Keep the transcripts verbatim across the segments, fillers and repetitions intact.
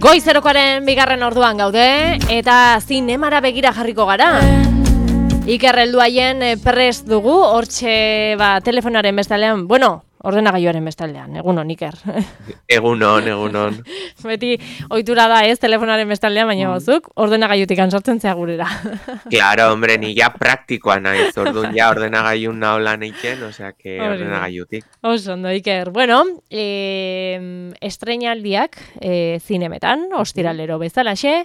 Goizerokoaren bigarren orduan gaude, eta zinemara begira jarriko gara. Iker helduaien prest dugu, hortxe ba, telefonaren bestaldean, bueno, ordenagailuaren bestaldean, egunon, Iker. Egunon, egunon. Beti ohitura da ez telefonaren bestaldean, baina gozuk, ordenagailutik sortzen zea gurera. Claro, hombre, ni ja praktikoa naiz, orduan ja ordenagailun nahola neiken, osea, que ordenagailutik. Oso ondo, Iker. Bueno, eh, estreinaldiak eh, zinemetan, ostiralero bezalaxe,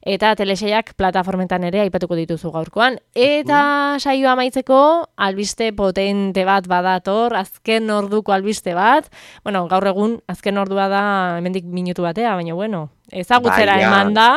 eta teleseiak plataformetan ere aipatuko dituzu gaurkoan. Eta saioa amaitzeko, albiste potente bat badator, azken orduko albiste bat. Bueno, gaur egun, azken ordua da, hemendik minutu batea, baina bueno, ezagutzera bai, eman da.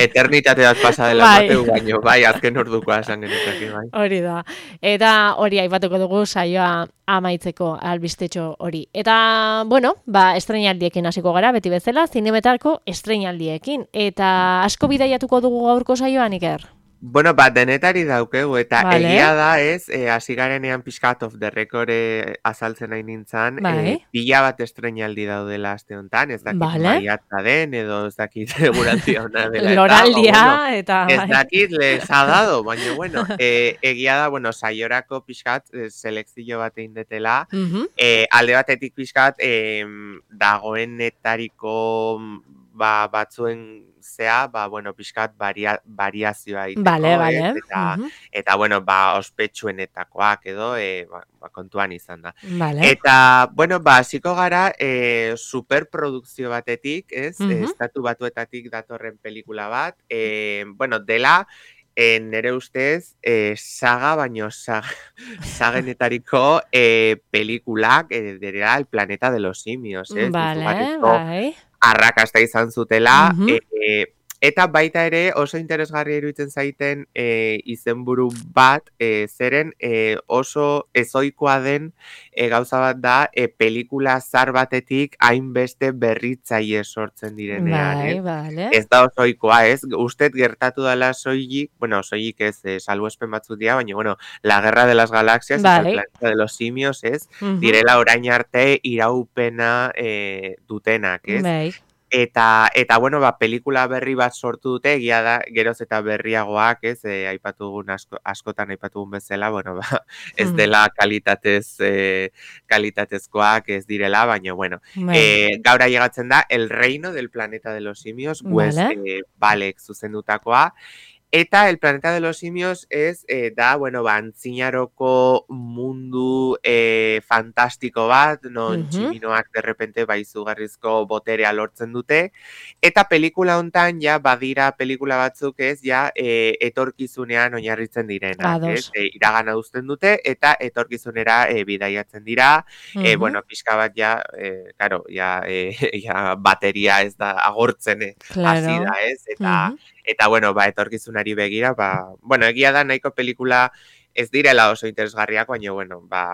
Eternitate bat pasa dela bai. Bateu, baino, bai, azken ordukoa esan genetake, bai. Hori da. Eta hori aipatuko dugu saioa amaitzeko albistetxo hori. Eta, bueno, ba, estreinaldiekin hasiko gara, beti bezala, zinemetako estreinaldiekin. Eta asko bidaiatuko dugu gaurko saioan, Iker? Bueno, bat denetari daukegu, eta vale. Egia da, ez, hasi e, garenean pixkat of the record e, azaltzen nahi nintzen, bai. e, pila bat estreinaldi daudela aste honetan, ez dakit vale. Maiatza den, edo ez dakit segurantzia hona dela. Loraldia, bueno, eta... Ez dakit les ha dado, baina, bueno, e, egia da, bueno, saiorako pixkat, e, selekzio bat egin detela, uh -huh. e, alde batetik pixkat, e, dagoenetariko ba, batzuen zea, ba, bueno, pixkat baria, variazioa egiteko, vale, vale. eta, uh -huh. eta, bueno, ba, ospetsuenetakoak edo, e, ba, ba, kontuan izan da. Vale. Eta, bueno, ba, hasiko gara, e, superprodukzio batetik, ez, uh -huh. estatu batuetatik datorren pelikula bat, e, bueno, dela, E, nere ustez, e, saga, baino saga, sagenetariko e, pelikulak e, dira El planeta de los simios, ez? Vale, bai. Arrakasta izan zutela, uh -huh. e, eta baita ere oso interesgarria iruditzen zaiten e, izenburu bat, e, zeren e, oso ezoikoa den e, gauza bat da, e, pelikula zar batetik hainbeste berritzaile sortzen direnean. Bai, eh? vale. Ez da osoikoa, ez? Usted gertatu dela soilik, bueno, soilik ez, e, salbuespen batzuk dira, baina, bueno, La Guerra de las Galaxias, bai. eta El planeta de los simios, ez? Uh -huh. Direla orain arte iraupena e, dutenak, ez? Bai. Eta, eta, bueno, ba, pelikula berri bat sortu dute, egia da, geroz eta berriagoak, ez, e, aipatugun asko, askotan aipatugun bezala, bueno, ba, ez dela kalitatez, e, kalitatezkoak ez direla, baina, bueno, e, gaur ailegatzen da, El reino del planeta de los simios, Wes vale. e, Balek zuzendutakoa, eta El planeta de los simios ez eh, da, bueno, ba, antzinaroko mundu eh, fantastiko bat, non uh -huh. tximinoak derrepente ba, izugarrizko boterea lortzen dute, eta pelikula hontan ja badira pelikula batzuk ez, ja eh, etorkizunean oinarritzen direnak, ez? E, iragana uzten dute, eta etorkizunera eh, bidaiatzen dira, uh -huh. eh, bueno, pixka bat ja, eh, karo, ja, eh, ja bateria ez da agortzen eh, claro. hasi da, ez? Eta, uh -huh. Eta, bueno, ba, etorkizunari begira, ba, bueno, egia da nahiko pelikula ez direla oso interesgarriak, baina, bueno, ba,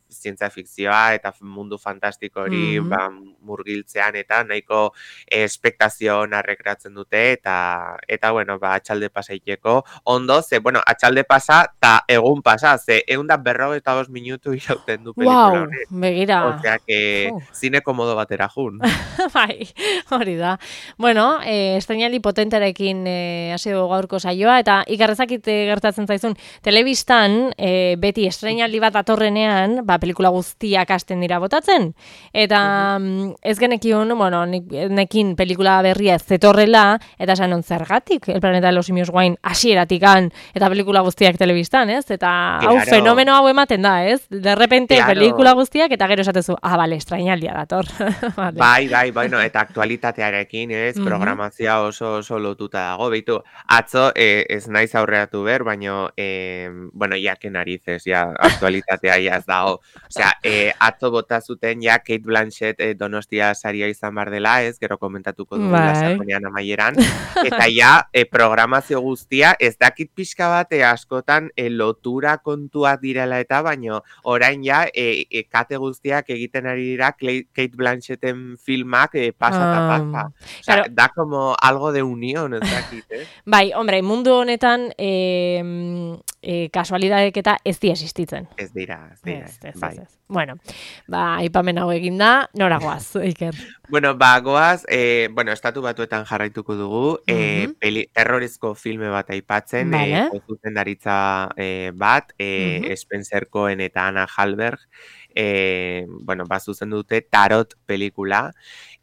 zientzia fikzioa eta mundu fantastiko hori, mm-hmm. ba, murgiltzean eta nahiko espektazio narrekratzen dute, eta, eta, bueno, ba, atxalde pasaiteko, ondo, ze, bueno, atxalde pasa, eta egun pasa, ze, egun da berro eta dos minutu irauten du pelikula wow, hori. Begira. Osea, que uh. zine komodo batera jun. Bai, hori da. Bueno, eh, estreinaldi potenterekin eh, hasi dugu gaurko saioa, eta ikarrezakit gertatzen zaizun, telebistan eh, beti estreinaldi bat atorrenean, ba, pelikula guztiak hasten dira botatzen, eta uh-huh. ez genekion, bueno, nekin pelikula berria ez zetorrela, eta esan on zergatik, El planeta de los simios guain hasieratikan, eta pelikula guztiak telebistan, ez? Eta claro. hau fenomeno hau ematen da, ez? De repente claro. pelikula guztiak, eta gero esatezu, ah, bale, estreinaldia dator. vale. Bai, bai, bueno, eta aktualitatearekin, ez? Uh-huh. Programazioa oso, oso lotuta dago, beitu, atzo eh, ez naiz aurreatu ber, baino, eh, bueno, jake narices, ja, aktualitatea ja ez dago. Osea, eh, atzo bota zuten ja Kate Blanchett eh, Donostia saria izan bar dela, ez, gero komentatuko dugu lasakonean amaieran, eta ja eh, programazio guztia, ez dakit pixka bat eh, askotan eh, lotura kontuak direla eta, baino orain ja eh, eh, kate guztiak egiten ari dira Kate Blanchetten filmak eh, pasa eta um, pasa. Osea, claro. Da como algo de unión, ez dakit, eh? Bai, hombre, mundu honetan eh, e, kasualidadek eta ez di existitzen. Ez dira, ez dira. Ez, ez, bai. ez, ez. Bueno, ba, aipamen hau eginda, nora goaz, Iker? Bueno, ba, goaz, eh, bueno, estatu batuetan jarraituko dugu, eh, Mhm. peli, terrorizko filme bat aipatzen, Vale. eh, zuzendaritza eh, bat, eh, Mhm. Spencer Cohen eta Anna Halberg, eh, bueno, ba, zuzen dute Tarot pelikula.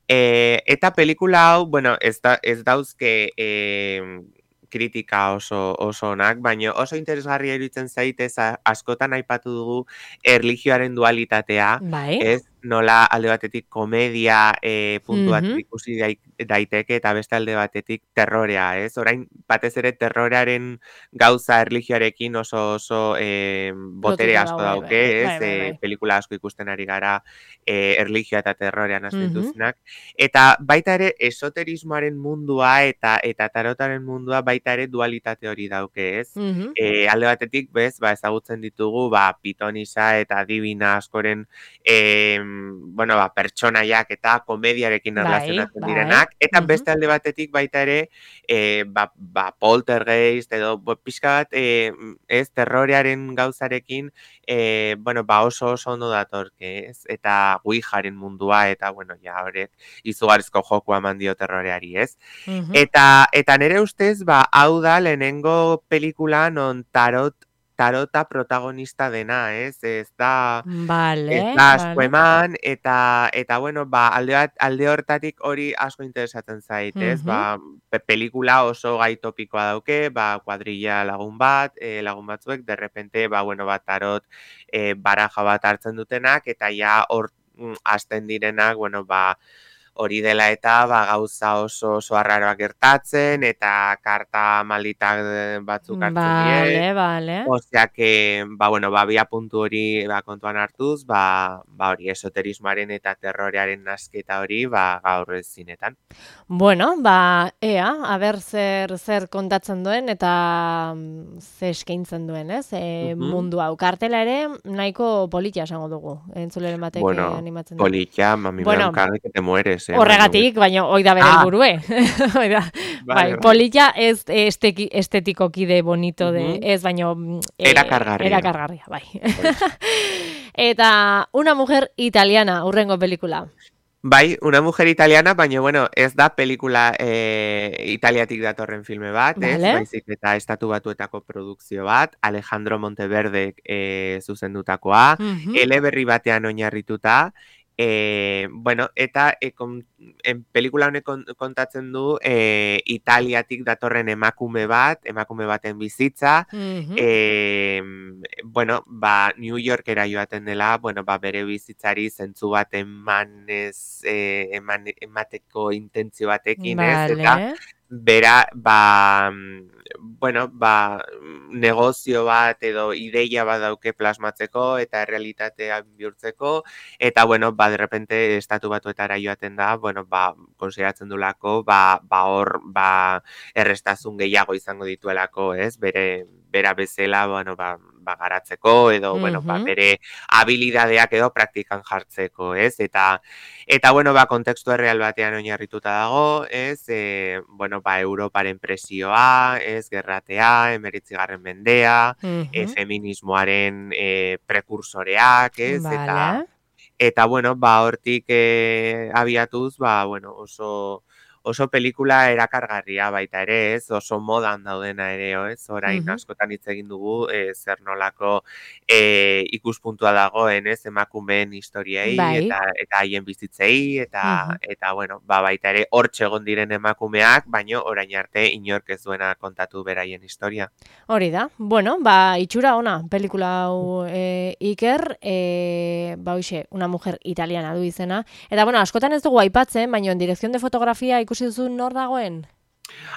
Eh, eta pelikula hau, bueno, ez, da, ez dauzke eh, kritika oso, oso onak, baina oso interesgarria iruditzen zaitez askotan aipatu dugu erlijioaren dualitatea, Bai. ez? Nola alde batetik komedia e, puntu bat Mhm. ikusi daiteke eta beste alde batetik terrorea, ez? Orain batez ere terrorearen gauza erlijioarekin oso oso e, botere Lotuta asko dago, bai, dauke, bai, ez? bai, bai, E, bai. pelikula asko ikusten ari gara e, erlijioa eta terrorean hasten Mhm. dituztenak. Eta baita ere esoterismoaren mundua eta eta tarotaren mundua baita ere dualitate hori dauke, ez? Mhm. E, alde batetik, bez, ba, ezagutzen ditugu, ba, pitonisa eta divina askoren e, bueno, ba, pertsonaiak eta komediarekin Bai, erlazionatzen bai. direnak, eta Mhm. beste alde batetik baita ere, e, ba, ba, poltergeist edo bo, pixka bat, e, ez, terrorearen gauzarekin, e, bueno, ba, oso oso ondo datorke, ez? Eta Ouijaren mundua, eta, bueno, ja, horrek izugarrizko jokua eman dio terroreari, ez? Mhm. Eta, eta nire ustez, ba, hau da lehenengo pelikula non tarot tarota protagonista dena, ez? Ez da, Vale, ez da asko vale. eman, eta, eta bueno, ba, alde, bat, alde hortatik hori asko interesatzen zait, ez? Mhm. Ba, pe pelikula oso gai topikoa dauke, ba, kuadrilla lagun bat, e, lagun batzuek, de repente, ba, bueno, ba, tarot e, baraja bat hartzen dutenak, eta ja hor mm, hasten direnak, bueno, ba, hori dela eta ba, gauza oso oso arraroak gertatzen, eta karta malditak batzuk hartzen die. Vale, vale. Osea que, ba, bueno, ba, bia puntu hori ba, kontuan hartuz, ba, ba, hori esoterismoaren eta terrorearen nasketa hori, ba, gaur zinetan. Bueno, ba, ea, aber zer, zer kontatzen duen eta mm, ze eskaintzen duen, ez? E, Mhm. mundu hau kartela ere nahiko politia esango dugu, entzuleren batek Bueno, animatzen da. politia, a mí me da Bueno, un cague que te mueres, eh? horregatik, baina hoi da bere Ah! helburue. Hoi da. Bai, Vale, vale. politia ez esteki, estetikoki de bonito de, Mhm. ez, baino mm, eh, Erakargarria. erakargarria, bai. Eta una mujer italiana, urrengo pelikula. Bai, una mujer italiana, baina, bueno, ez da pelikula eh, italiatik datorren filme bat, ez? Vale. Baizik eta estatu batuetako produkzio bat, Alejandro Monteverdek eh, zuzendutakoa, Mhm. eleberri batean oinarrituta, eh, bueno, eta e, kon, en pelikula honek kon- kontatzen du eh, Italiatik datorren emakume bat, emakume baten bizitza, Mhm. eh, bueno, ba, New Yorkera joaten dela, bueno, ba, bere bizitzari zentzu bat emanez, eh, eman, emateko intentzio batekin, ez? Eta Vale. bera, ba, bueno, ba, negozio bat edo ideia bat dauke plasmatzeko eta errealitatea bihurtzeko, eta, bueno, ba, de repente estatu batuetara joaten da, bueno, ba, konsideratzen dulako, ba, ba hor, ba, errestasun gehiago izango dituelako, ez? Bere, bera bezala, bueno, ba, ba garatzeko, edo, bueno, ba, Mhm. bere habilidadeak edo praktikan jartzeko, ez? Eta, eta, bueno, ba, kontekstu erreal batean oinarrituta dago, ez? E, bueno, ba, Europaren presioa, ez? Gerratea, emeretzigarren mendea, e, Mhm. feminismoaren e, prekursoreak, ez? Eta, Vale. eta, bueno, ba, hortik e, abiatuz, ba, bueno, oso... oso pelikula erakargarria baita ere, ez? Oso modan daudena ere, ez? Orain Mhm. askotan hitz egin dugu, e, zer nolako e, ikuspuntua dagoen, ez? Emakumeen historiei Bai. eta eta haien bizitzei eta Mhm. eta bueno, ba baita ere hortxe egon diren emakumeak, baino orain arte inork ez duena kontatu beraien historia. Hori da. Bueno, ba, itxura ona, pelikula hau e, Iker, e, ba, hoxe, una mujer italiana du izena. Eta, bueno, askotan ez dugu aipatzen, baina en dirección de fotografía ikusi duzu nor dagoen?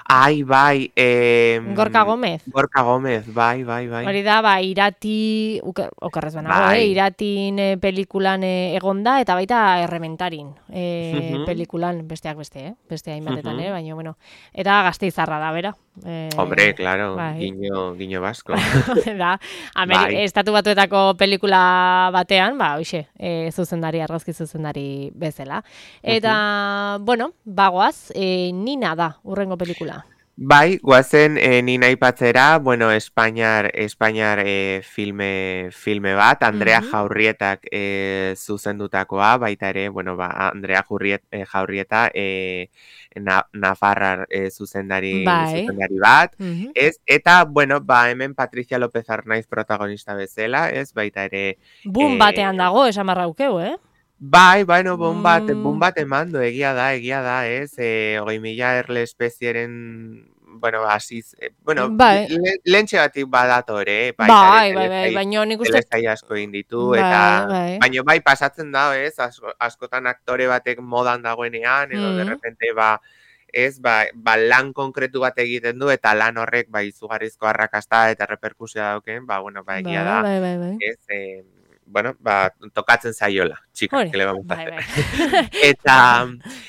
Ai, bai, eh, Gorka Gómez. Gorka Gómez, bai, bai, bai. Hori da, ba, irati, uke- okerrez banago, Bai. eh? Iratin eh, pelikulan eh, egonda, eta baita errementarin eh, Mhm. pelikulan, besteak beste, eh? Beste hainbatetan, Mhm. eh? Baina, bueno, eta Gasteizarra da, bera. Eh, Hombre, claro, bai. guiño, guiño vasco. da, Ameri Bai. estatu batuetako pelikula batean, ba, hoxe, e, zuzendari, argazki zuzendari bezala. Eta, bueno, bagoaz, e, Nina da, urrengo pelikula. Bai, guazen e, ni aipatzera, bueno, Espainiar, Espainiar e, filme, filme bat, Andrea Mhm. Jaurrietak e, zuzendutakoa, baita ere, bueno, ba, Andrea Jurriet, e, Jaurrieta e, na, Nafarrar e, zuzendari, Bai. zuzendari bat, Mhm. ez, eta, bueno, ba, hemen Patricia López Arnaiz protagonista bezala, ez, baita ere, Boom batean e, dago, esan barraukeu, eh? bai, bueno, bon bat, bon Mm, bat emando, egia da, egia da, ez, e, hogei mila erle espezieren, bueno, asiz, e, bueno, bai, le, lentxe batik badatore, baita ere, bai, bai, bai, telesai, baina nik uste... telesai asko egin ditu, eta, Bai, bai. baina bai, pasatzen da, ez, asko, askotan aktore batek modan dagoenean, edo, de Mm, repente, ba, ez, ba, ba, lan konkretu bat egiten du, eta lan horrek, ba, izugarrizko arrakasta eta reperkusioa dauken, ba, bueno, ba, egia bai, da, bai, bai, bai. ez, eh, bueno, ba, tokatzen zaiola, txika, Hori, que le vamos a bai, hacer. bai. eta,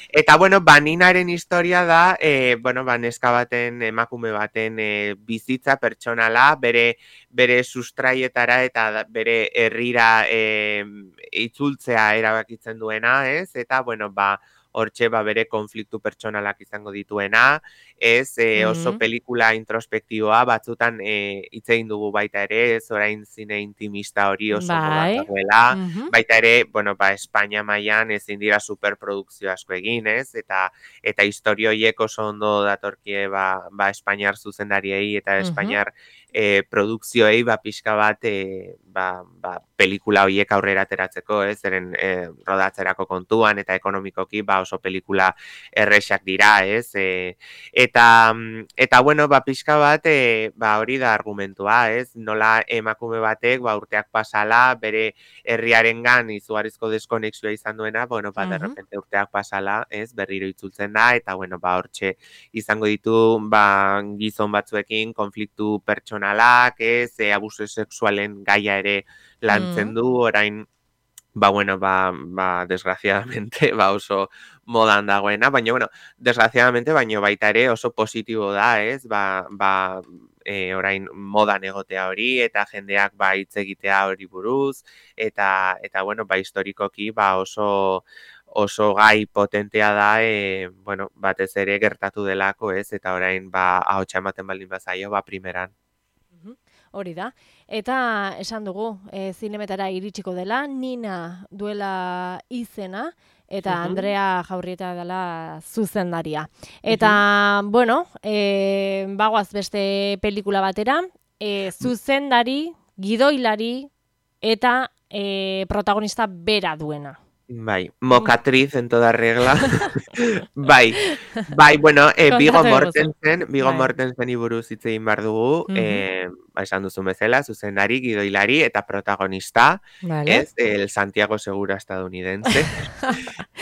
eta, bueno, ba, Ninaren historia da, eh, bueno, ba, neska baten, emakume baten eh, bizitza pertsonala, bere, bere sustraietara eta da- bere herrira eh, itzultzea erabakitzen duena, ez? Eta, bueno, ba, hortxe ba, bere konfliktu pertsonalak izango dituena, ez e, oso Mm, pelikula introspektiboa, batzutan e, hitz egin dugu baita ere, ez orain zine intimista hori oso modan bai. dagoela, Mhm. baita ere, bueno, ba, Espainia mailan ezin dira superprodukzio asko egin, ez? Eta eta istorio horiek oso ondo datorkie ba, ba Espainiar zuzendariei eta Mhm. Espainiar e, produkzioei ba pixka bat e, ba, ba, pelikula horiek aurrera ateratzeko, ez? Zeren e, rodatzerako kontuan eta ekonomikoki ba oso pelikula erresak dira, ez? E, eta eta bueno, ba pixka bat e, ba hori da argumentua, ez? Nola emakume batek ba urteak pasala bere herriarengan izugarrizko deskonexioa izan duena, bueno, ba, de Mhm. repente urteak pasala, ez, berriro itzultzen da, eta, bueno, ba, hortxe izango ditu, ba, gizon batzuekin konfliktu pertsonalak, ez, e, abuso sexualen gaia ere lantzen Mm. du, orain, ba, bueno, ba, ba, desgraciadamente, ba, oso modan dagoena, baina, bueno, desgraciadamente, baina baita ere oso positibo da, ez, ba, ba, e, orain modan egotea hori, eta jendeak, ba, hitz egitea hori buruz, eta, eta bueno, ba, historikoki, ba, oso, oso gai potentea da, e, bueno, batez ere gertatu delako, ez, eta orain, ba, ahotsa ematen baldin bazaio, ba, primeran. Mhm. Hori da. Eta esan dugu, e, zinemetara iritsiko dela, Nina duela izena, eta Mhm, Andrea Jaurrieta dela zuzendaria. mhm. Eta, bueno, e, bagoaz beste pelikula batera, e, zuzendari, gidoilari, eta e, protagonista bera duena. Bai, Mm. mocatriz en toda regla. Bai, bai, bueno, eh, Viggo Kontatu eguzu. Mortensen, Viggo Bai. Mortenseni buruz hitz egin behar dugu, Mhm. eh, ba, esan duzun bezala, zuzendari, gidoilari eta protagonista, Vale. ez, el Santiago Segura estadounidense.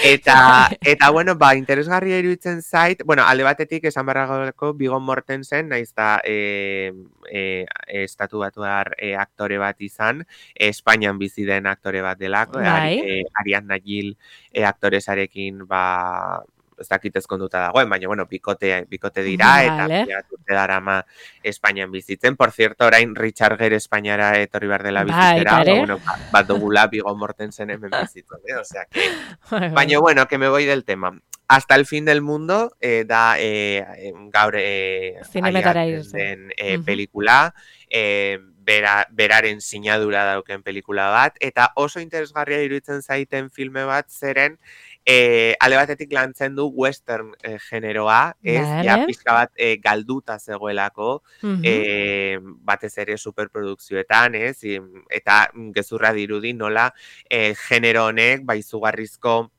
Eta, Bai. eta bueno, ba, interesgarria iruditzen zait, bueno, alde batetik esan barragoleko Viggo Mortensen, naiz da, e, e, estatu batuar e, aktore bat izan, Espainian bizi den aktore bat delako, e, Ari, Bai. e, Ariadna Gil e, aktoresarekin, ba, ez dakit ezkonduta dagoen, baina, bueno, bikote, bikote dira, eta Vale. pila bat urte darama Espainian bizitzen. Por cierto, orain Richard Gere Espainiara etorri behar dela bizitzera, Baita ba, ere. bueno, ba, bat dugula Viggo Mortensen hemen bizitzen, eh? Osea, que Bai, bai. baina, bueno, que me voy del tema. Hasta el fin del mundo eh, da eh, eh, gaur eh, Zinemetara ailegatzen irse. den eh, Mhm. pelikula, eh, bera, beraren sinadura dauken pelikula bat, eta oso interesgarria iruditzen zaiten filme bat zeren eh, ale batetik lantzen du western eh, generoa, ez, ja Vale. pixka bat eh, galduta zegoelako, Mhm. eh, batez ere superprodukzioetan, ez, eta gezurra dirudi nola eh, genero honek, ba, izugarrizko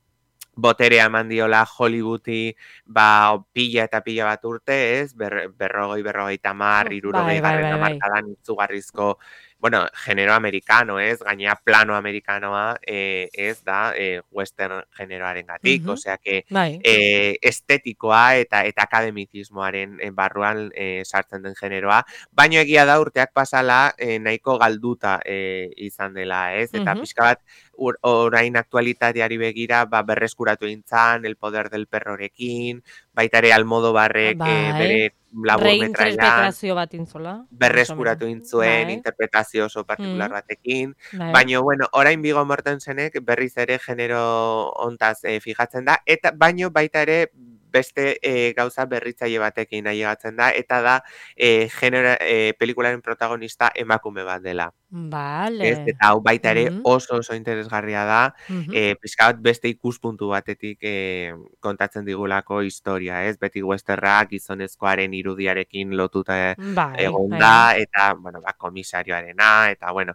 boterea eman diola Hollywoodi, ba, pila eta pila bat urte, ez? Ber, berrogei, berrogei tamar, Bai, irurogei bai, garren bai, bai. amarkadan itzugarrizko, bueno, genero amerikano, ez? Gainea plano amerikanoa, eh, ez da, eh, western generoaren gatik, Mhm. osea que Bai. eh, estetikoa eta eta akademizismoaren eh, barruan eh, sartzen den generoa, baino egia da urteak pasala eh, nahiko galduta eh, izan dela, ez? Eta Mhm. pixka bat, ur, orain aktualitateari begira, ba, berreskuratu intzan, El poder del perrorekin, baita ere Almodobarrek eh, Bai. bere laburmetrailan, Reinterpretazio bat intzola, más o menos. berreskuratu intzuen, Bai. interpretazio oso partikular Mm. batekin, Bai. baino, bueno, orain Viggo Mortensenek berriz ere genero hontaz eh, fijatzen da, eta baino baita ere beste e, gauza berritzaile batekin ailegatzen da, eta da e, genera, e, pelikularen protagonista emakume bat dela. Ez, Vale. eta hau baita ere Mhm. oso oso interesgarria da, Mhm. e, pixka bat beste ikuspuntu batetik e, kontatzen digulako historia, ez? Beti westerrak gizonezkoaren irudiarekin lotuta Bai, egon bai, bai. da, eta, bueno, ba, komisarioarena, eta, bueno,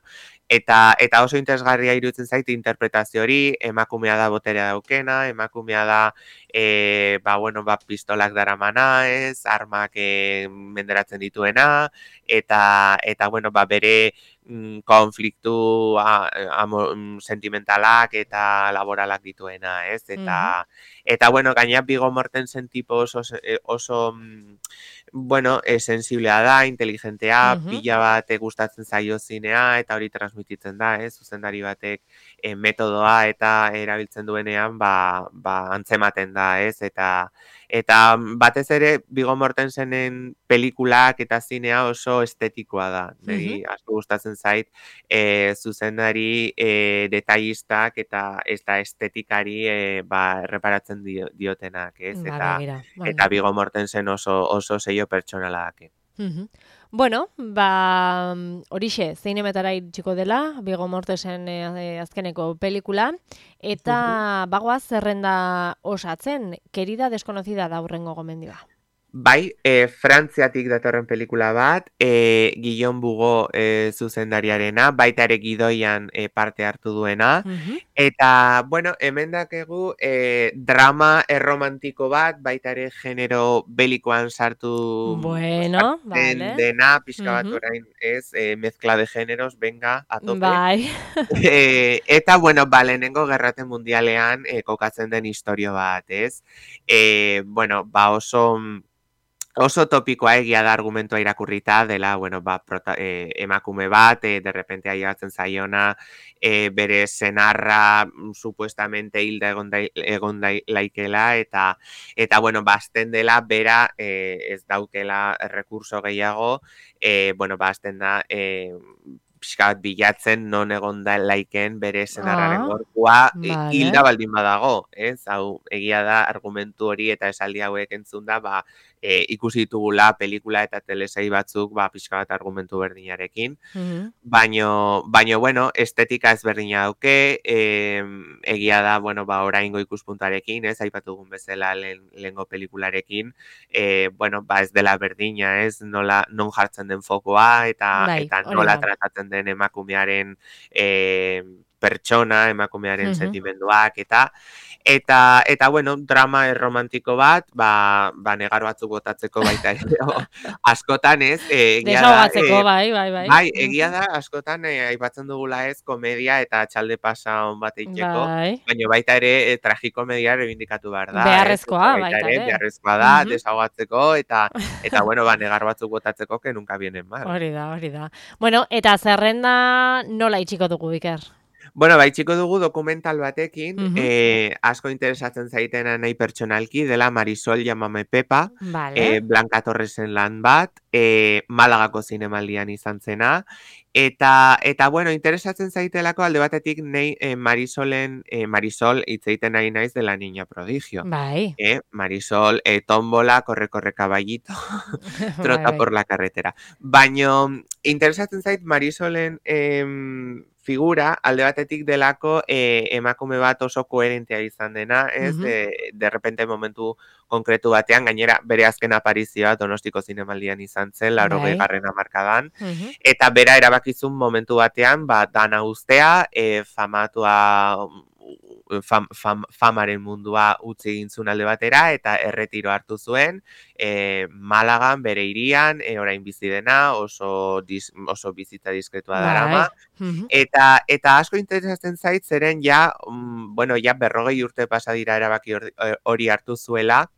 eta, eta oso interesgarria iruditzen zait interpretazio hori, emakumea da boterea daukena, emakumea da, e, ba, bueno, ba, pistolak daramana, ez? Armak e, menderatzen dituena, eta, eta, bueno, ba, bere mm, konfliktu a, amo, mm, sentimentalak eta laboralak dituena, ez? Mhm. Eta, eta bueno, gaina Viggo Mortensen tipo oso, eh, oso mm, bueno, e, sensiblea da, inteligentea, Mhm. pila bat e, gustatzen zaio zinea, eta hori transmititzen da, ez? Zuzendari batek e, metodoa eta erabiltzen duenean, ba, ba antzematen da, ez? Eta, eta batez ere, Viggo Mortensenen pelikulak eta zinea oso estetikoa da. Mhm. Niri asko gustatzen zait, e, zuzendari e, detailistak eta eta estetikari e, ba, erreparatzen dio, diotenak, ez? Ba, Eta begira, eta bueno. Viggo Mortensen oso oso sello pertsonala daki. Mhm. Bueno, ba, horixe, zeinemetara iritsiko dela, Viggo Mortensen e, azkeneko pelikula, eta bagoaz zerrenda osatzen, Querida desconocida da hurrengo gomendioa. Bai, e, Frantziatik datorren pelikula bat, e, Guillaume Bugo e, zuzendariarena, baita ere gidoian e, parte hartu duena, Mhm. eta, bueno, hemen dakegu e, drama erromantiko bat, baita ere genero belikoan sartu Bueno, sartzen vale. dena, pixka bat Mhm. orain ez, e, mezcla de generos, venga, a tope. Bai. E, eta, bueno, ba, lehenengo gerrate mundialean e, kokatzen den historio bat, ez? E, bueno, ba, oso... Oso topikoa egia da argumentua irakurrita dela, bueno, ba, prota, eh, emakume bat, eh, de repente ailegatzen zaiona, eh, bere senarra mm, supuestamente hilda egon, da, egon da, laikela, eta, eta bueno, bazten dela, bera eh, ez daukela recurso gehiago, eh, bueno, bazten da, eh, pixka bat bilatzen non egon da laiken bere senarraren Ah, gorpua hilda vale. baldin badago, ez? Hau, egia da argumentu hori eta esaldi hauek entzunda, ba, E, ikusi ditugula pelikula eta telesai batzuk ba pixka bat argumentu berdinarekin. Mhm. Baino, baino bueno, estetika ezberdina dauke, e, egia da, bueno, ba oraingo ikuspuntarekin, ez, aipatu dugun bezala lehen, lehengo pelikularekin, e, bueno, ba ez dela berdina, ez, nola non jartzen den fokoa eta Bai, eta hori nola da. tratatzen den emakumearen e, pertsona, emakumearen Mhm. sentimenduak eta Eta, eta bueno, drama erromantiko bat, ba, ba negar batzuk botatzeko baita ere, askotan ez, e, egia da, Desahogatzeko, e, bai, bai, bai. bai, egia Mhm. da, askotan e, aipatzen dugula ez, komedia eta txalde pasa on bat eiteko, Bai. baina baita ere, e, tragikomedia rebindikatu behar da, ez, Beharrezkoa, eta baita baita ere, ere. beharrezkoa da, Mhm. desahogatzeko, eta, eta bueno, ba, negar batzuk botatzeko, que nunca vienen mal. Hori da, hori da. Bueno, eta zerrenda nola itxiko dugu, Iker? Bueno, baitxiko dugu dokumental batekin, Mhm. eh, asko interesatzen zaitena nahi pertsonalki, dela Marisol Llámame Pepa, Vale. eh, Blanca Torresen lan bat, eh, Malagako zinemaldian izan zena, eta, eta bueno, interesatzen zaitelako alde batetik nei eh, Marisolen, eh, Marisol hitz egiten ari naiz de la niña prodigio. Bai. Eh, Marisol, eh, tómbola, corre, corre caballito, Bai, trota bai. por la carretera. Baino, interesatzen zait Marisolen em, figura, alde batetik delako eh, emakume bat oso koherentea izan dena, ez? Mhm. De, de repente momentu konkretu batean, gainera bere azken aparizioa Donostiko zinemaldian izan zen, laurogei Bai. garren hamarkadan, Mhm. eta bera erabakizun momentu batean, ba, dana ustea, e, famatua, fam, fam, famaren mundua utzi egin zuen alde batera, eta erretiro hartu zuen, e, Malagan, bere hirian, e, orain bizi dena, oso, dis, oso bizitza diskretua darama, Bai. Mhm. eta, eta asko interesatzen zait, zeren ja, mm, bueno, ja berrogei urte pasa dira erabaki hori hori hartu zuela,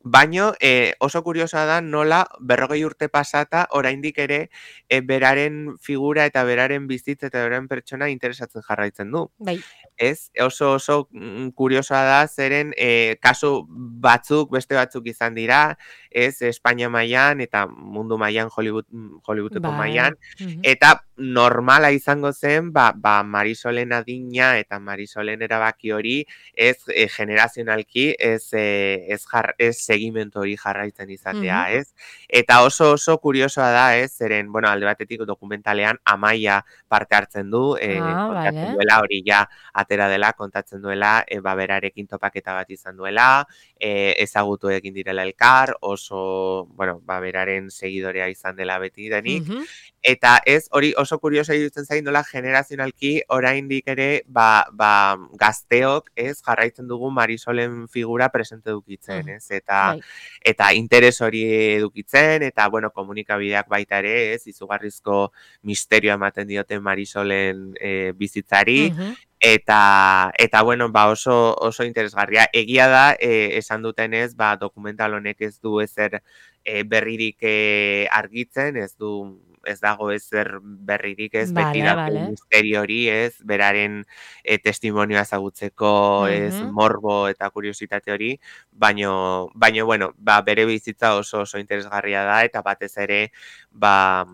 baino eh, oso kuriosa da nola berrogei urte pasata oraindik ere eh, beraren figura eta beraren bizitza eta beraren pertsona interesatzen jarraitzen du. Bai. ez? Oso oso mm, kuriosoa da, zeren e, kasu batzuk, beste batzuk izan dira, ez? Espainia mailan eta mundu mailan, Hollywood, Hollywoodeko Bai. mailan, Mhm. eta normala izango zen, ba, ba Marisolen adina eta Marisolen erabaki hori, ez e, generazionalki, ez, e, ez, jar, ez segimentu hori jarraitzen izatea, Mhm. ez? Eta oso oso kuriosoa da, ez? Zeren, bueno, alde batetik dokumentalean Amaia parte hartzen du, e, Ah, kontatzen vale. duela, hori ja atera dela, kontatzen duela, e, ba, berarekin topaketa bat izan duela, e, ezagutu egin direla elkar, oso, bueno, ba, beraren seguidorea izan dela beti denik, Mhm. eta ez, hori oso kurioso iruditzen zain nola generazionalki oraindik ere, ba, ba, gazteok, ez, jarraitzen dugu Marisolen figura presente dukitzen, Mhm. ez, eta Bai. eta interes hori edukitzen, eta, bueno, komunikabideak baita ere, ez, izugarrizko misterio ematen dioten Marisolen e, bizitzari, Mhm. eta, eta bueno, ba oso, oso interesgarria. Egia da, e, esan dutenez, ba, dokumental honek ez du ezer e, berririk e, argitzen, ez du ez dago ezer berririk, ez beti Vale, dago vale. misteri hori, ez, beraren e, testimonioa ezagutzeko, ez, Mhm. morbo eta kuriositate hori, baino, baino, bueno, ba, bere bizitza oso oso interesgarria da, eta batez ere, ba,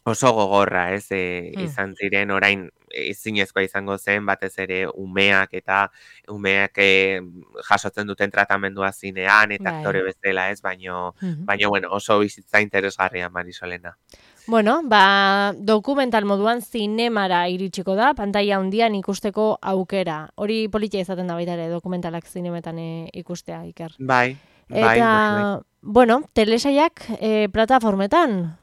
oso gogorra, ez, e, Mm. izan ziren orain ezinezkoa izango zen, batez ere umeak eta umeak e, jasotzen duten tratamendua zinean eta aktore Bai. bezala, ez, baino, Mhm. baino, bueno, oso bizitza interesgarria Marisolena. Bueno, ba, dokumental moduan zinemara iritsiko da, pantaila handian ikusteko aukera. Hori politia izaten da baita ere, dokumentalak zinemetan e, ikustea, Iker. Bai, bai, bai, bai. Eta, bueno, telesaiak e, plataformetan.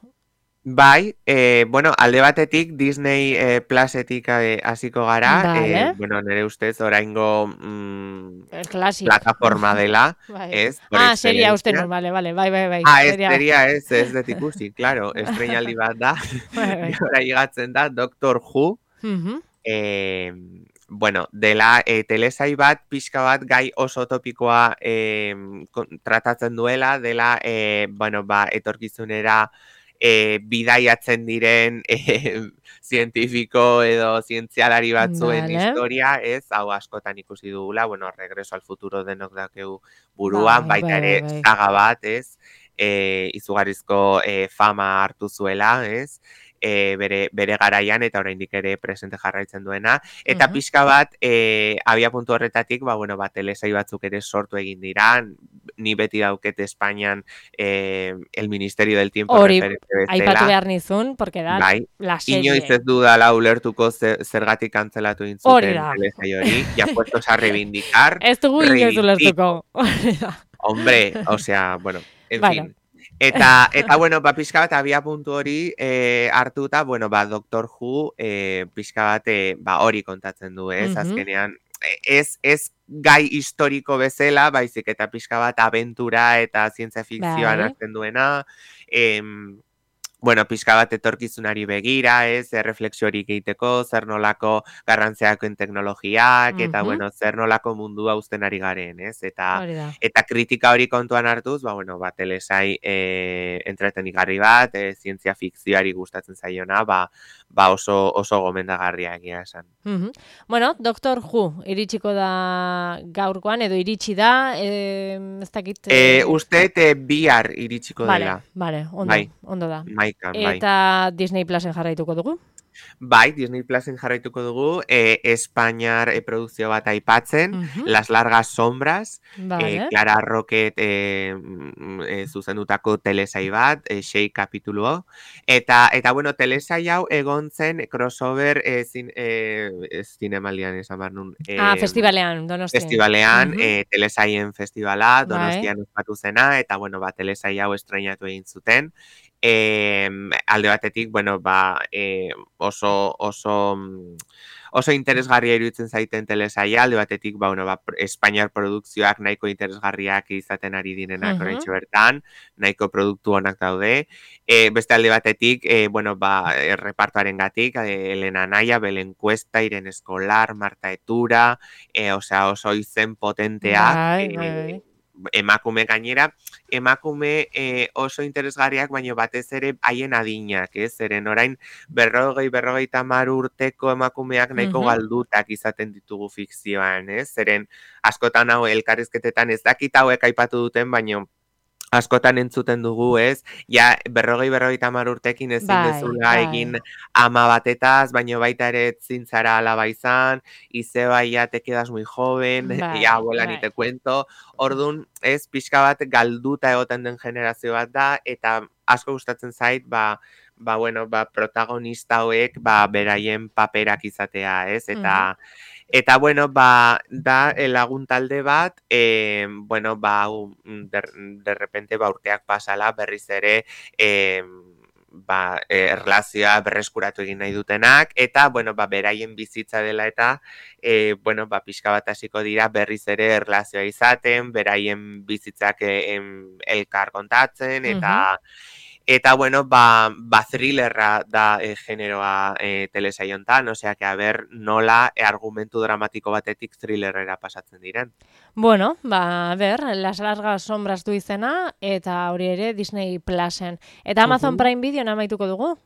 Bai, e, bueno, alde batetik Disney e, Plusetik e, hasiko gara, e, Vale. bueno, nire ustez oraingo mm, El Classic. plataforma dela, Bai. ez, por Ah, seria uste excelencia. nun, vale, vale, bai, bai, bai. Ah, ez Seria. seria, ez, ez dut ikusi, claro, estreinaldi bat da, Bai, bai. gora higatzen da, Doctor Who, Mhm. eh, bueno, dela e, telesai bat, pixka bat, gai oso topikoa eh, tratatzen duela, dela, eh, bueno, ba, etorkizunera e, bidaiatzen diren e, zientifiko edo zientzialari batzuen Vale. historia, ez, hau askotan ikusi dugula, bueno, Regreso al futuro denok dakeu buruan, Bai, baita bai, bai, ere bai. saga bat, ez, e, izugarrizko e, fama hartu zuela, ez, e, bere, bere garaian eta oraindik ere presente jarraitzen duena, eta Mhm. pixka bat e, abia puntu horretatik, ba, bueno, ba, telesai batzuk ere sortu egin dira, ni beti dauket Espainian eh, el Ministerio del Tiempo Hori, referente aipatu bezala, behar nizun, porque da bai, la inoiz serie. ez dudala ulertuko zer, zergatik kantzelatu Hori intzuten da. telesai hori, ya puestos a reivindicar, Ez dugu inoiz reivindico. ulertuko. Hori da. Hombre, o sea, bueno, en Bueno. fin. Eta, eta bueno, ba, pixka bat abia puntu hori eh, hartuta, bueno, ba, Doctor Who eh, pixka bat eh, ba, hori kontatzen du, ez, Mhm. azkenean, eh, ez, ez gai historiko bezala, baizik eta pixka bat abentura eta zientzia fikzioan Bai. hartzen duena, em, bueno, pixka bat etorkizunari begira, ez, erreflexiorik egiteko, zer nolako garrantziakoen teknologiak, eta, Mhm. bueno, zer nolako mundua uzten ari garen, ez, eta, Hori da. eta kritika hori kontuan hartuz, ba, bueno, ba, telesai e, entretenigarri bat, e, zientzia fikzioari gustatzen zaiona, ba, ba oso, oso gomendagarria egia esan. Mhm. Bueno, Doctor Who iritsiko da gaurkoan, edo iritsi da, eh, ez dakit... E, Eh... uste te bihar iritsiko Vale, dela. vale, ondo, Bai, ondo da. maikan, bai. Eta Disney Plusen jarraituko dugu? Bai, Disney Plusen jarraituko dugu, eh, Espainiar e, produkzio bat aipatzen, Mhm. Las largas sombras, Vale. eh, Clara Rocket eh, e, zuzendutako telesai bat, eh, sei kapituluo, eta, eta bueno, telesai hau egon zen crossover eh, zin, eh, ez zinemaldian esan behar nun. Eh, Ah, festivalean, Donostian. Festivalean, Mhm. eh, telesaien festivala, Bai. Donostian ospatu zena, eta bueno, ba, telesai hau estreinatu egin zuten. Eh, alde batetik, bueno, ba, eh, oso, oso, oso interesgarria iruditzen zaiten telesaia, alde batetik, ba, bueno, ba, Espainiar produkzioak nahiko interesgarriak izaten ari direnak Mhm. oraintxe bertan, nahiko produktu onak daude. E, beste alde batetik, e, bueno, ba, e, repartoaren gatik, e, Elena Naya, Belen Cuesta, Irene Escolar, Marta Etura, e, osea, oso izen potenteak, Bai, e, bai, bai. emakume gainera, emakume e, oso interesgarriak, baina batez ere haien adinak, ez? Zeren orain berrogei, berrogeita hamar urteko emakumeak nahiko Mhm. galdutak izaten ditugu fikzioan, ez? Zeren askotan hau elkarrizketetan ez dakit hauek aipatu duten, baina askotan entzuten dugu, ez? Ja, berrogei, berrogeita hamar urtekin ezin Bai, dezula bai. egin ama batetaz, baina baita ere ezin zara alaba izan, izeba ya te quedas muy joven, ya Bai, abuela ni bai. te cuento. Orduan, ez, pixka bat galduta egoten den generazio bat da, eta asko gustatzen zait, ba, ba, bueno, ba, protagonista hauek, ba, beraien paperak izatea, ez? Mhm. Eta, Eta, bueno, ba, da eh, lagun talde bat, eh, bueno, ba, hau, mm, de, de repente, ba, urteak pasala, berriz ere, eh, ba, eh, erlazioa berreskuratu egin nahi dutenak, eta, bueno, ba, beraien bizitza dela eta, eh, bueno, ba, pixka bat hasiko dira berriz ere erlazioa izaten, beraien bizitzak eh, em, elkar kontatzen, Mhm. eta, Eta, bueno, ba, ba thrillerra da e, generoa e, telesaiontan, osea, que a ber nola e, argumentu dramatiko batetik thrillerrera pasatzen diren. Bueno, ba, ber, Las largas sombras du izena, eta hori ere Disney Plusen. Eta Amazon Uhum. Prime Video amaituko dugu?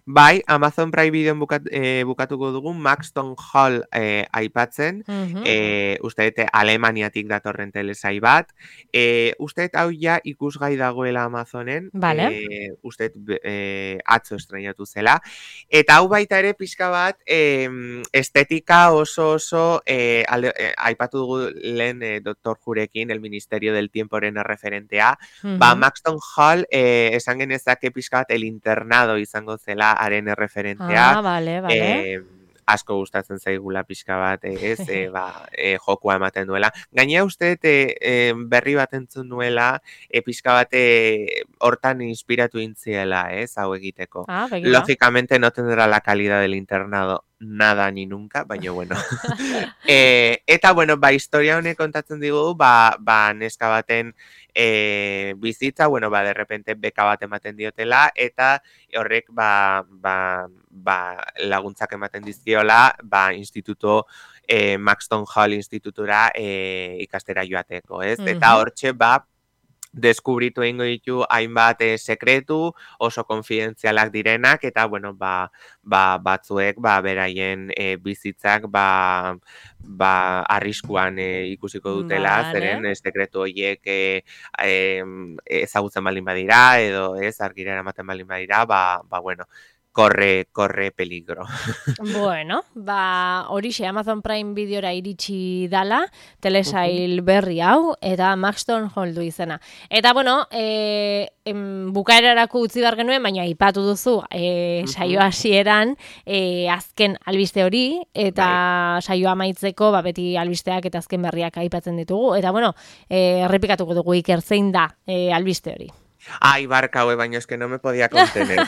Bai, Amazon Prime Videon bukat, e, bukatuko dugu Maxton Hall e, aipatzen, Mhm. e, uste dute Alemaniatik datorren telesai bat, e, uste dut hau ja ikusgai dagoela Amazonen, Vale. e, uste dut e, atzo estrenatu zela, eta hau baita ere pixka bat e, estetika oso oso e, alde, e, aipatu dugu lehen e, Doktor Jurekin, el Ministerio del Tiemporen referentea, Mhm. ba, Maxton Hall e, esan genezake pixka bat el internado izango zela haren erreferentea, Ah, vale, vale. e, asko gustatzen zaigula pixka bat, e, ez, e, ba, e, jokua ematen duela. Gainea uste, e, e, berri bat entzun nuela, e, pixka bat e, hortan inspiratu intziela, ez, hau egiteko. Ah, begira. Lógicamente no tendrá la calidad del internado nada ni nunca, baina bueno. e, eta, bueno, ba, historia honek kontatzen digu, ba, ba neska baten e, bizitza, bueno, ba, de repente beka bat ematen diotela, eta horrek, ba, ba, ba, laguntzak ematen dizkiola, ba, instituto, e, Maxton Hall institutura e, ikastera joateko, ez? Eta Mhm. hortxe, ba, deskubritu egingo ditu hainbat e, sekretu, oso konfidentzialak direnak, eta, bueno, ba, ba, batzuek, ba, beraien e, bizitzak, ba, ba, arriskuan e, ikusiko dutela, Vale. zeren e, sekretu horiek e, e, ezagutzen baldin badira, edo ez, argira eramaten baldin badira, ba, ba, bueno, corre, corre peligro. Bueno, ba, horixe Amazon Prime Videora iritsi dala, telesail berri hau, eta Maxton Hall du izena. Eta, bueno, e, em, bukaerarako utzi behar genuen, baina aipatu duzu, e, saio hasieran e, azken albiste hori, eta Bai. saioa amaitzeko, ba, beti albisteak eta azken berriak aipatzen ditugu. Eta, bueno, e, errepikatuko dugu Iker zein da e, albiste hori. Ay, barka, hue, baina eske no me podía contener.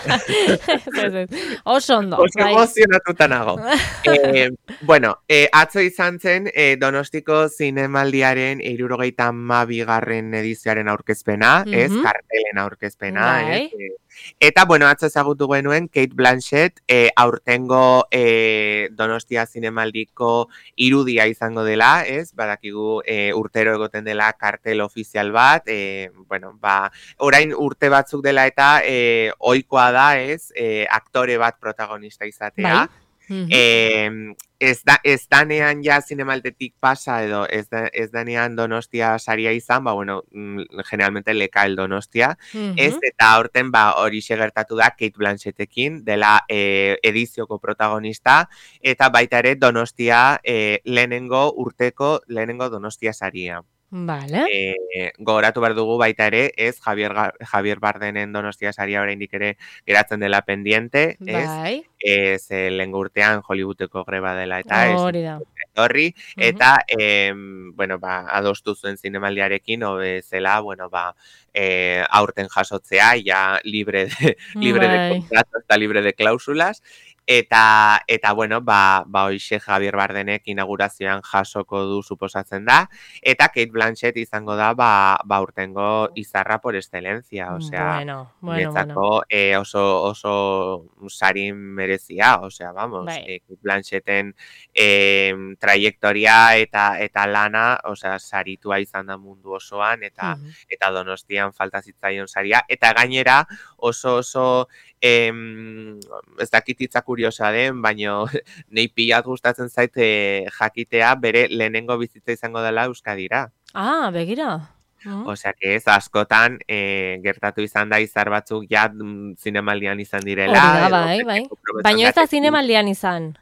Oso ondo. Oso emozionatuta nago. eh, bueno, eh, atzo izan zen eh, Donostiko zinemaldiaren hirurogeita hamabigarren edizioaren aurkezpena, Mhm. ez, kartelen aurkezpena, Bai. ez, eh, eta, bueno, atzo ezagutu genuen Kate Blanchett eh, aurtengo eh, Donostia zinemaldiko irudia izango dela, ez, badakigu eh, urtero egoten dela kartel ofizial bat, eh, bueno, ba, orain urte batzuk dela eta eh, ohikoa da, ez, eh, aktore bat protagonista izatea. Bai. Mhm. Eh, ez, da, ez danean ja zinemaldetik pasa edo ez, da, ez danean Donostia saria izan, ba, bueno, mm, generalmente leka el Donostia, Mhm. ez, eta horten, ba, hori gertatu da Kate Blanchettekin, dela eh, edizioko protagonista, eta baita ere Donostia eh, lehenengo urteko, lehenengo Donostia saria. Vale. Eh, gogoratu behar dugu baita ere, ez, Javier, Javier Bardenen Donostia saria oraindik ere geratzen dela pendiente, ez, Bai. ez, lehengo urtean Hollywoodeko greba dela eta ez, Hori da. horri, Mhm. eta, eh, bueno, ba, adostu zuen zinemaldiarekin, hobe zela, bueno, ba, eh, aurten jasotzea, ja libre de, libre de Bai. contrato, eta libre de cláusulas, Eta, eta bueno, ba, ba hoxe Javier Bardenek inaugurazioan jasoko du suposatzen da, eta Kate Blanchett izango da, ba, ba urtengo izarra por excelencia, osea, Bueno, bueno, bueno. niretzako eh, oso, oso sari merezia, osea, vamos, Bai. eh, Kate Blanchetten eh, trayektoria eta eta lana, osea, saritua izan da mundu osoan, eta Mhm. eta Donostian falta zitzaion saria, eta gainera oso oso em, ez dakit hitza kuriosa den, baino nei pilat gustatzen zait eh, jakitea bere lehenengo bizitza izango dela Euskadira. Ah, begira. Mm. Osea, que ez askotan eh, gertatu izan da izar batzuk ja mm, zinemaldian izan direla, Hori da, edo bai, bai. beteko probetxon Baina ez da datekin. zinemaldian izan.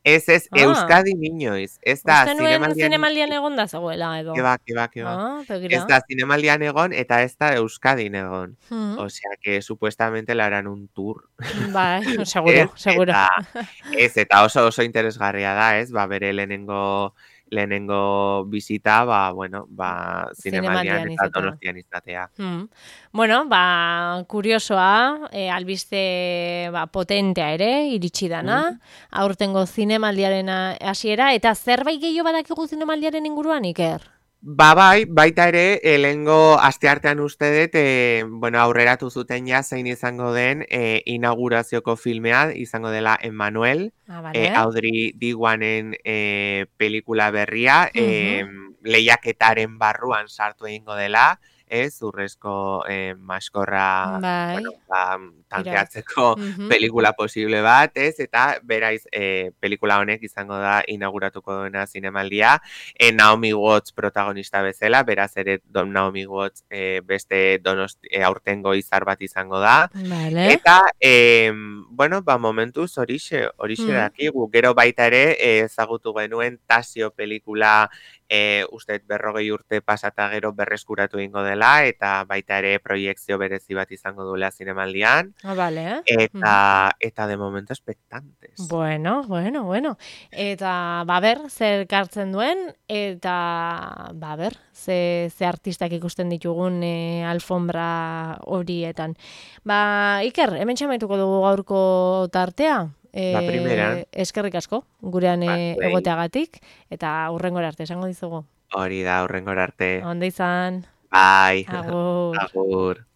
Ez, ez, Ah, Euskadi inoiz. Ez da uste nuen zinemaldian zinemaldian egon da zegoela edo. Keba, keba, keba. Ah, Ez begira. da zinemaldian egon eta ez da Euskadin egon. Mm. Osea, que supuestamente le harán un tour. Bai, Ez, seguro, seguro. eta, ez, eta oso oso interesgarria da, ez? Ba, bere lehenengo lehenengo bizita, ba, bueno, ba, zinemaldian Zinemaldian eta izatea. Donostian izatea. Mm. Bueno, ba, kuriosoa, e, albiste ba, potentea ere, iritsi dana, Mm. aurtengo zinemaldiaren hasiera, eta zerbait gehiago badakigu zinemaldiaren inguruan, Iker? Ba, bai, baita ere, elengo asteartean uste dut, e, bueno, aurreratu zuten ja zein izango den e, inaugurazioko filmea, izango dela Emmanuel, Ah, e, bale. Audrey Diwanen e, pelikula berria, e, Mhm. lehiaketaren barruan sartu egingo dela, ez, urrezko e, maskorra, Bai, bueno, ba, irabazi. tanteatzeko Mhm. pelikula posible bat, ez, eta beraiz e, pelikula honek izango da inauguratuko duena zinemaldia, E, Naomi Watts protagonista bezala, beraz ere don Naomi Watts e, beste donosti, e, aurtengo izar bat izango da. Bale. Eta, e, bueno, ba, momentuz horixe, horixe Mm. dakigu. Gero baita ere e, ezagutu genuen Tasio pelikula e, uste berrogei urte pasata gero berreskuratu egingo dela, eta baita ere proiekzio berezi bat izango duela zinemaldian. Ah, bale. Eta, eta de momento expectantes. Bueno, bueno, bueno. Eta, ba, ber, zer kartzen duen, eta, ba, ber, ze, ze artistak ikusten ditugun e, alfombra horietan. Ba, Iker, hemen txamaituko dugu gaurko tartea. E, La primera. eskerrik asko, gurean e, Zuei. egoteagatik, eta hurrengora arte, esango dizugu. Hori da, hurrengora arte. Onda izan, Bai, agur. agur.